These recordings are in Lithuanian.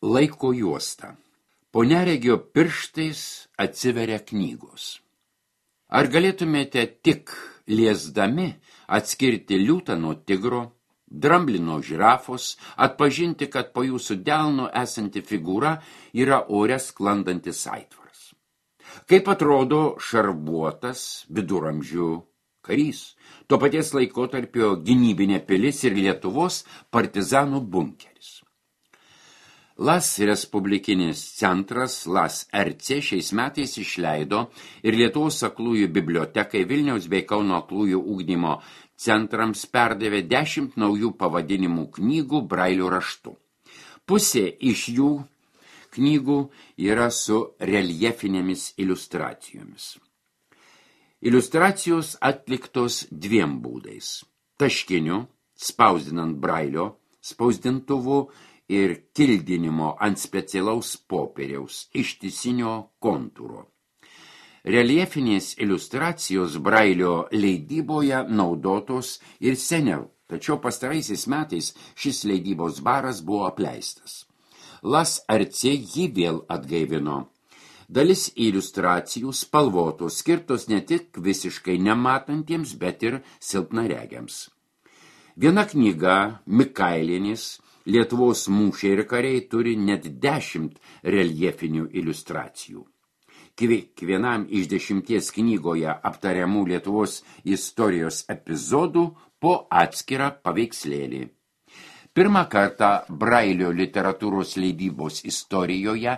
Laiko juosta. Po neregio pirštais atsiveria knygos. Ar galėtumėte tik liesdami atskirti liūtą nuo tigro, dramblį nuo žirafos, atpažinti, kad po jūsų delno esanti figūra yra ore sklandantis aitvaras? Kaip atrodo šarvuotas viduramžių karys, to paties laikotarpio gynybinė pilis ir Lietuvos partizanų bunkeris. LAS Respublikinis centras LAS RC šiais metais išleido ir Lietuvos aklųjų bibliotekai Vilniaus bei Kauno aklųjų ugdymo centrams perdavė 10 naujų pavadinimų knygų brailio raštu. Pusė iš jų knygų yra su reljefinėmis iliustracijomis. Iliustracijos atliktos 2 būdais – taškiniu, spausdinant brailio, spausdintuvu ir kildinimo ant specialaus popieriaus ištisinio kontūro. Reljefinės iliustracijos brailio leidyboje naudotos ir seniau, tačiau pastaraisiais metais šis leidybos baras buvo apleistas. LAS RC jį vėl atgaivino. Dalis iliustracijų spalvotos, skirtos ne tik visiškai nematantiems, bet ir silpnaregiams. Viena knyga, Mikailienės, Lietuvos mūšiai ir kariai, turi net 10 reljefinių iliustracijų. Kiekvienam iš 10 knygoje aptariamų Lietuvos istorijos epizodų po atskirą paveikslėlį. Pirmą kartą brailio literatūros leidybos istorijoje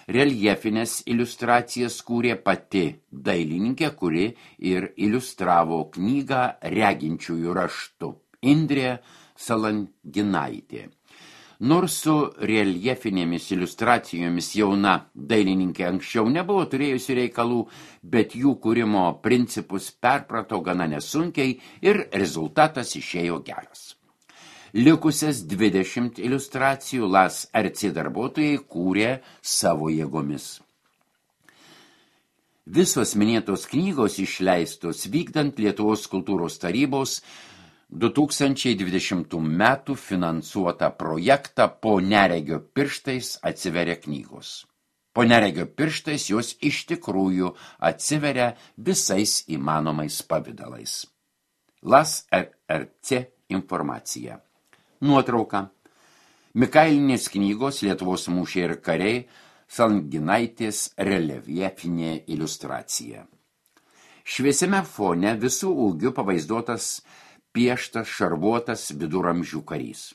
reljefinės iliustracijas kūrė pati dailininkė, kuri ir iliustravo knygą reginčiųjų raštu – Indrė Salanginaitė. Nors su reljefinėmis iliustracijomis jauna dailininkė anksčiau nebuvo turėjusi reikalų, bet jų kūrimo principus perprato gana nesunkiai ir rezultatas išėjo geras. Likusias 20 iliustracijų LAS RC darbuotojai kūrė savo jėgomis. Visos minėtos knygos išleistos vykdant Lietuvos kultūros tarybos 2020 metų finansuotą projektą Po neregio pirštais atsiveria knygos. Po neregio pirštais jos iš tikrųjų atsiveria visais įmanomais pavidalais. LAS RC informacija. Nuotrauka. Mikailinės knygos Lietuvos mūšiai ir kariai, Salanginaitės reljefinė iliustracija. Šviesiame fone visų ūgių pavaizduotas pieštas šarvuotas viduramžių karys.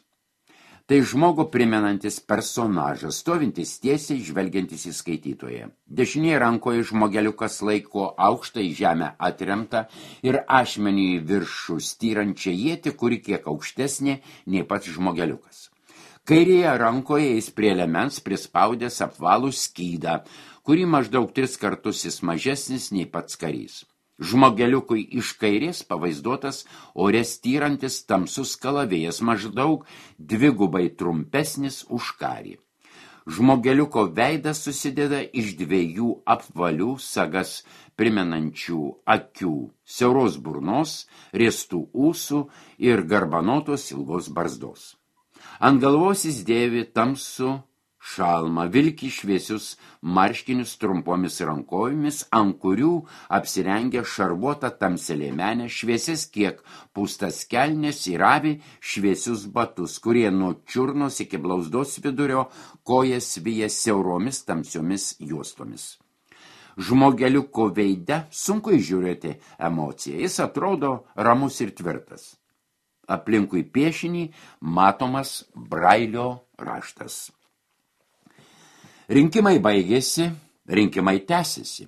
Tai žmogų primenantis personažas, stovintis tiesiai, žvelgiantis į skaitytoją. Dešinėje rankoje žmogeliukas laiko aukštą į žemę atremtą ir ašmenį į viršų styrančią ietį, kuri kiek aukštesnė nei pats žmogeliukas. Kairėje rankoje jis prie liemens prispaudęs apvalų skydą, kurį maždaug 3 kartus jis mažesnis nei pats karys. Žmogeliukui iš kairės pavaizduotas ore styrantis tamsus kalavėjas, maždaug 2 trumpesnis už karį. Žmogeliuko veidas susideda iš 2 apvalių sagas primenančių akių, siauros burnos, riestų ūsų ir garbanotos ilgos barzdos. Ant galvos jis dėvi tamsų šalmą, vilki šviesius marškinius trumpomis rankojomis, ant kurių apsirengia šarvuota tamselėmenė, šviesis kiek pūstas kelnes ir avi šviesius batus, kurie nuo čiurnos iki blauzdos vidurio kojas vyja siauromis tamsiomis juostomis. Žmogeliuko veide sunku įžiūrėti emociją, jis atrodo ramus ir tvirtas. Aplinkui piešinį matomas brailio raštas. Rinkimai baigėsi, rinkimai tęsiasi.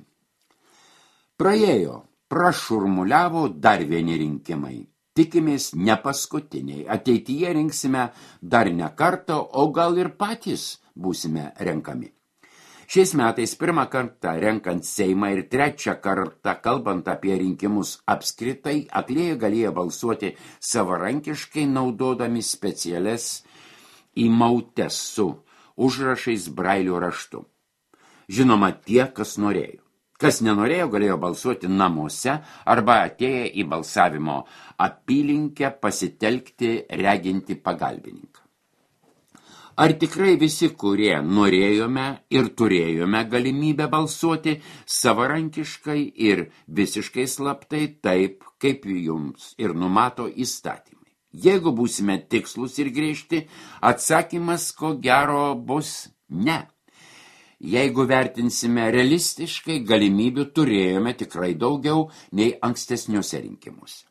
Prašurmuliavo dar vieni rinkimai. Tikimės ne paskutiniai. Ateityje rinksime dar ne kartą, o gal ir patys būsime renkami. Šiais metais 1 kartą renkant Seimą ir 3 kartą kalbant apie rinkimus apskritai, aklieji galėjo balsuoti savarankiškai naudodami specialias įmautes su užrašais brailio raštu. Žinoma, tie, kas norėjo. Kas nenorėjo, galėjo balsuoti namuose arba atėję į balsavimo apylinkę pasitelkti reginti pagalbininką. Ar tikrai visi, kurie norėjome ir turėjome galimybę balsuoti savarankiškai ir visiškai slaptai taip, kaip jums ir numato įstatymai? Jeigu būsime tikslus ir griežti, atsakymas ko gero bus ne. Jeigu vertinsime realistiškai, galimybių turėjome tikrai daugiau nei ankstesniuose rinkimuose.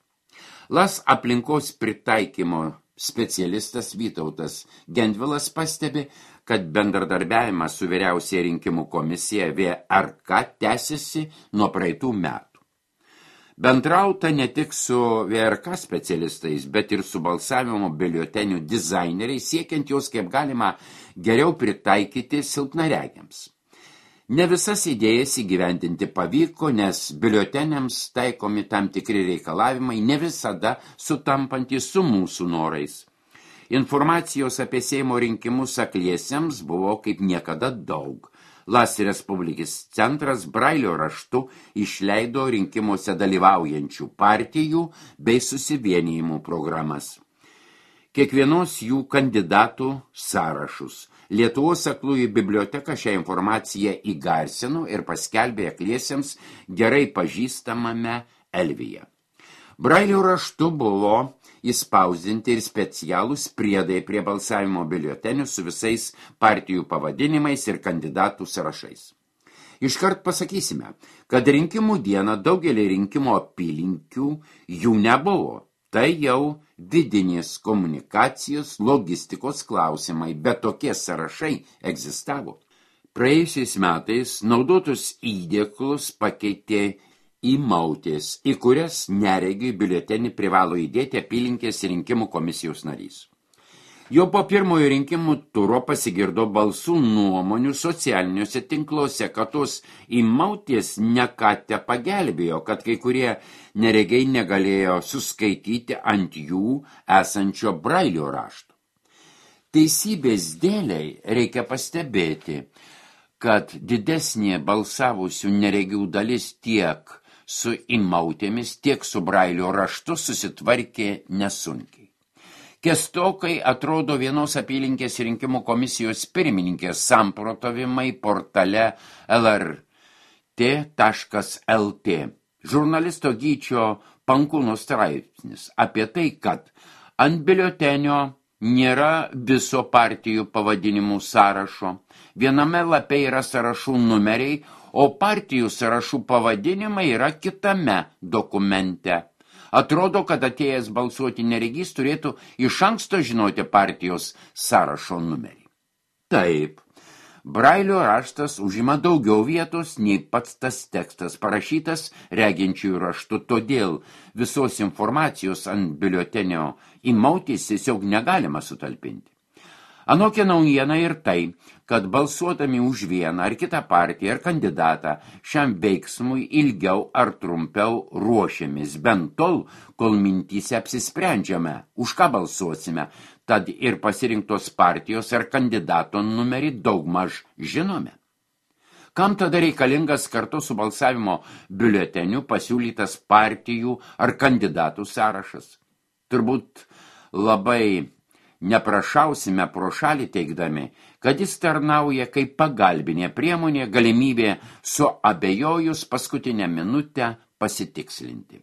LAS aplinkos pritaikymo specialistas Vytautas Gendvilas pastebi, kad bendradarbiavimas su vyriausiąja rinkimų komisija VRK tęsiasi nuo praeitų metų. Bendrauta ne tik su VRK specialistais, bet ir su balsavimo biuletenių dizaineriais, siekiant juos kaip galima geriau pritaikyti silpnaregiams. Ne visas idėjas įgyvendinti pavyko, nes biuleteniams taikomi tam tikri reikalavimai ne visada sutampantys su mūsų norais. Informacijos apie Seimo rinkimus akliesiems buvo kaip niekada daug. LAS Respublikos centras Brailio raštu išleido rinkimuose dalyvaujančių partijų bei susivienijimų programas. Kiekvienos jų kandidatų sąrašus. Lietuvos aklųjų biblioteka šią informaciją įgarsino ir paskelbė akliesiems gerai pažįstamame Elvyje. Brailio raštu buvo įspausdinti ir specialūs priedai prie balsavimo biuletenių su visais partijų pavadinimais ir kandidatų sąrašais. Iškart pasakysime, kad rinkimų dieną daugelį rinkimų apylinkių jų nebuvo. Tai jau vidinės komunikacijos, logistikos klausimai, bet tokie sąrašai egzistavo. Praėjusiais metais naudotus įdėklus pakeitė įmautės, į kurias neregiui biuletenį privalo įdėti apylinkės rinkimų komisijos narys. Jau po pirmojo rinkimų turo pasigirdo balsų nuomonių socialiniuose tinkluose, kad tos įmautės ne ką te pagelbėjo, kad kai kurie neregiai negalėjo suskaityti ant jų esančio Brailio rašto. Teisybės dėliai reikia pastebėti, kad didesnė balsavusių neregių dalis tiek su įmautėmis, tiek su Brailio raštu susitvarkė nesunkiai. Kestokai atrodo vienos apylinkės rinkimų komisijos pirmininkės samprotavimai portale lrt.lt. Žurnalisto Gyčio Pankūno straipsnis apie tai, kad ant biuletenio nėra viso partijų pavadinimų sąrašo. Viename lape yra sąrašų numeriai, o partijų sąrašų pavadinimai yra kitame dokumente. Atrodo, kad atėjęs balsuoti neregys turėtų iš anksto žinoti partijos sąrašo numerį. Taip, Brailio raštas užima daugiau vietos nei pats tas tekstas parašytas reginčiųjų raštu, todėl visos informacijos ant biuletenio įmautės tiesiog negalima sutalpinti. Anokia naujiena ir tai, kad balsuodami už vieną ar kitą partiją ar kandidatą šiam veiksmui ilgiau ar trumpiau ruošiamės, bent tol, kol mintyse apsisprendžiame, už ką balsuosime, tad ir pasirinktos partijos ar kandidato numerį daugmaž žinome. Kam tada reikalingas kartu su balsavimo biuleteniu pasiūlytas partijų ar kandidatų sąrašas? Turbūt labai neprašausime pro šalį teigdami, kad jis tarnauja kaip pagalbinė priemonė galimybė suabejojus paskutinę minutę pasitikslinti.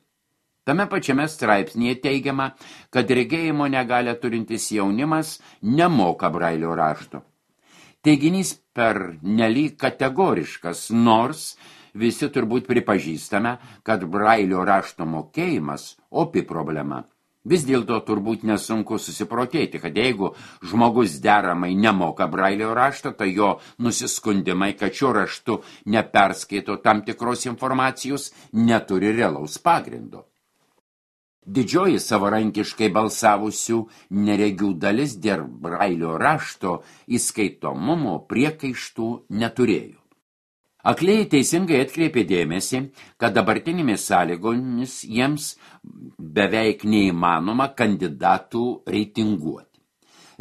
Tame pačiame straipsnėje teigiama, kad regėjimo negalią turintis jaunimas nemoka Brailio rašto. Teiginys per nelyg kategoriškas, nors visi turbūt pripažįstame, kad Brailio rašto mokėjimas opi problema. Vis dėlto turbūt nesunku susiprotėti, kad jeigu žmogus deramai nemoka Brailio rašto, tai jo nusiskundimai, kad šio raštu neperskaito tam tikros informacijos, neturi realaus pagrindo. Didžioji savarankiškai balsavusių neregių dalis dėl Brailio rašto įskaitomumo priekaištų neturėjo. Akliai teisingai atkreipė dėmesį, kad dabartinėmis sąlygomis jiems beveik neįmanoma kandidatų reitinguoti.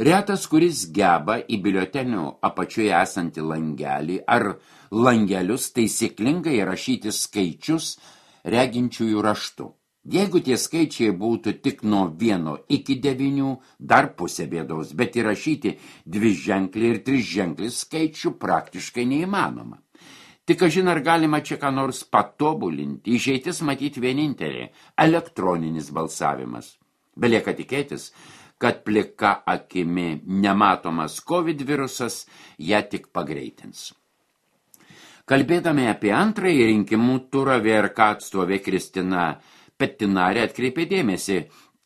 Retas, kuris geba į biuletenio apačioje esantį langelį ar langelius taisyklingai rašyti skaičius reginčiųjų raštu. Jeigu tie skaičiai būtų tik nuo 1 iki 9, dar pusė bėdos, bet įrašyti 2-ženklį ir 3-ženklį skaičių praktiškai neįmanoma. Tik kažin ar galima čia ką nors patobulinti, išeitis matyti vienintelė – elektroninis balsavimas. Belieka tikėtis, kad plika akimi nematomas COVID virusas ją tik pagreitins. Kalbėdami apie antrąjį rinkimų turą, VRK atstovė Kristina Petinarė atkreipė dėmesį,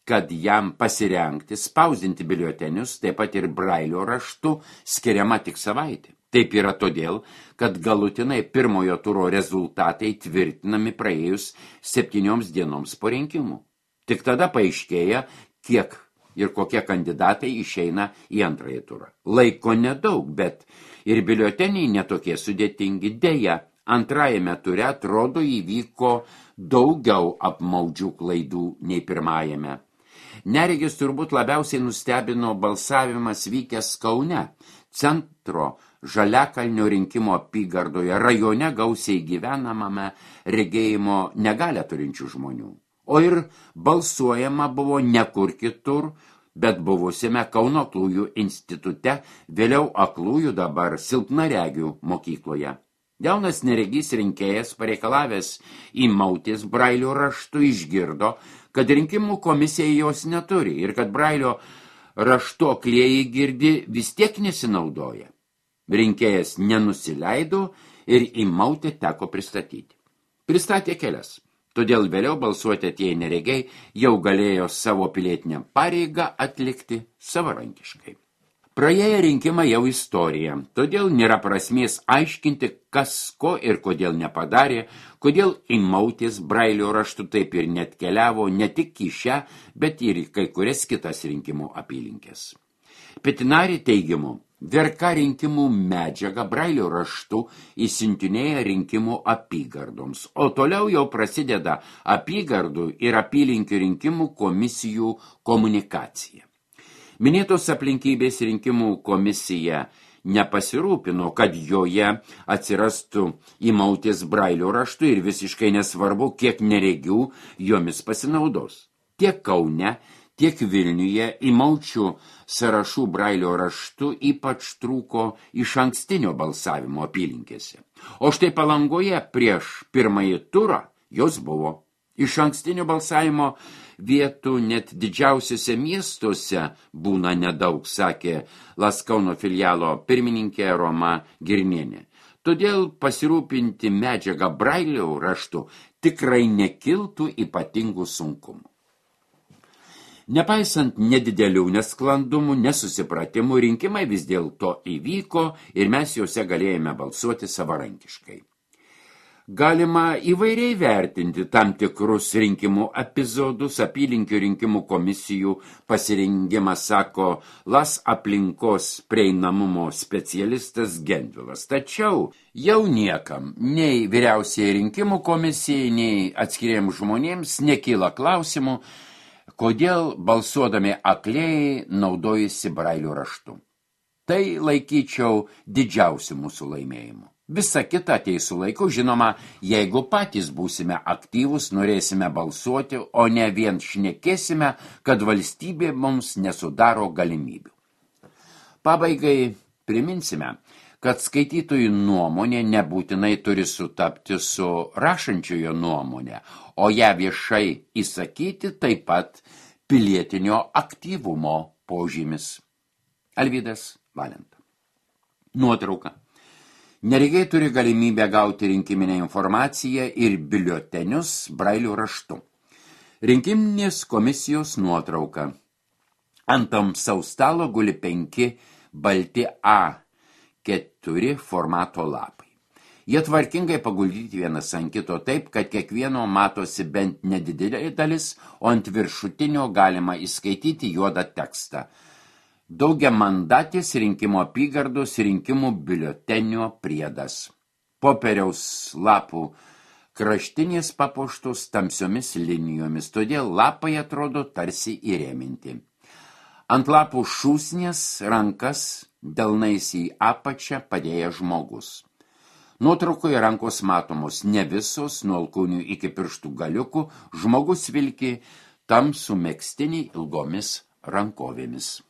kad jam pasirengti, spausdinti biuletenius, taip pat ir brailio raštu, skiriama tik savaitė. Taip yra todėl, kad galutinai pirmojo turo rezultatai tvirtinami praėjus 7 dienoms po rinkimų. Tik tada paaiškėja, kiek ir kokie kandidatai išeina į antrąjį turą. Laiko nedaug, bet ir biuleteniai netokie sudėtingi. Deja, antrajame ture atrodo įvyko daugiau apmaudžių klaidų nei pirmajame. Neregis turbūt labiausiai nustebino balsavimas vykęs Kaune, centro Žaliakalnio rinkimo apygardoje, rajone gausiai gyvenamame regėjimo negalią turinčių žmonių. O ir balsuojama buvo ne kur kitur, bet buvusiame Kauno aklųjų institute, vėliau aklųjų, dabar silpnaregių mokykloje. Jaunas neregys rinkėjas, pareikalavęs įmautis brailio raštu, išgirdo, kad rinkimų komisija jos neturi ir kad brailio raštu aklieji girdi vis tiek nesinaudoja. Rinkėjas nenusileido ir įmautį teko pristatyti. Pristatė kelias, todėl vėliau balsuoti atėję neregiai jau galėjo savo pilietinę pareigą atlikti savarankiškai. Praėję rinkimai jau istorija, todėl nėra prasmės aiškinti, kas ko ir kodėl nepadarė, kodėl įmautis brailio raštu taip ir net keliavo ne tik į šią, bet ir į kai kurias kitas rinkimų apylinkės. Petinarė teigimu, VRK rinkimų medžiagą brailio raštu įsiuntinėja rinkimų apygardoms, o toliau jau prasideda apygardų ir apylinkių rinkimų komisijų komunikacija. Minėtos aplinkybės rinkimų komisija nepasirūpino, kad joje atsirastų įmautis brailio raštu ir visiškai nesvarbu, kiek neregių jomis pasinaudos. Tiek Kaune, tiek Vilniuje įmaučių sąrašų brailio raštu ypač trūko iš ankstinio balsavimo apylinkėse. O štai Palangoje prieš pirmąjį turą jos buvo. Iš ankstinio balsavimo vietų net didžiausiuose miestuose būna nedaug, sakė Laskauno filialo pirmininkė Roma Girnienė. Todėl pasirūpinti medžiagą brailio raštu tikrai nekiltų ypatingų sunkumų. Nepaisant nedidelių nesklandumų, nesusipratimų, rinkimai vis dėlto įvyko ir mes juose galėjome balsuoti savarankiškai. Galima įvairiai vertinti tam tikrus rinkimų epizodus, apylinkių rinkimų komisijų pasirengimą, sako LAS aplinkos prieinamumo specialistas Gendvilas. Tačiau jau niekam, nei vyriausiai rinkimų komisijai, nei atskiriems žmonėms nekyla klausimų, kodėl balsuodami aklėjai naudojasi brailio raštu. Tai laikyčiau didžiausiu mūsų laimėjimu. Visa kita ateis su laiku, žinoma, jeigu patys būsime aktyvus, norėsime balsuoti, o ne vien šnekėsime, kad valstybė mums nesudaro galimybių. Pabaigai priminsime, kad skaitytojų nuomonė nebūtinai turi sutapti su rašančiojo nuomonė, o ją viešai įsakyti taip pat pilietinio aktyvumo požymis. Alvydas Valenta. Nuotrauka. Neregiai turi galimybę gauti rinkiminę informaciją ir biuletenius brailio raštu. Rinkiminės komisijos nuotrauka. Ant tamsaus stalo guli 5 balti A4 formato lapai. Jie tvarkingai paguldyti vienas ant kito taip, kad kiekvieno matosi bent nedidelė dalis, o ant viršutinio galima įskaityti juodą tekstą. Daugiamandatės rinkimų apygardos rinkimų biuletenio priedas. Popieriaus lapų kraštinės papuoštos tamsiomis linijomis, todėl lapai atrodo tarsi įrėminti. Ant lapų šūsnės rankas delnais į apačią padėjęs žmogus. Nuotraukoje rankos matomos ne visos, nuo alkūnių iki pirštų galiukų, žmogus vilki tamsų megztinį ilgomis rankovėmis.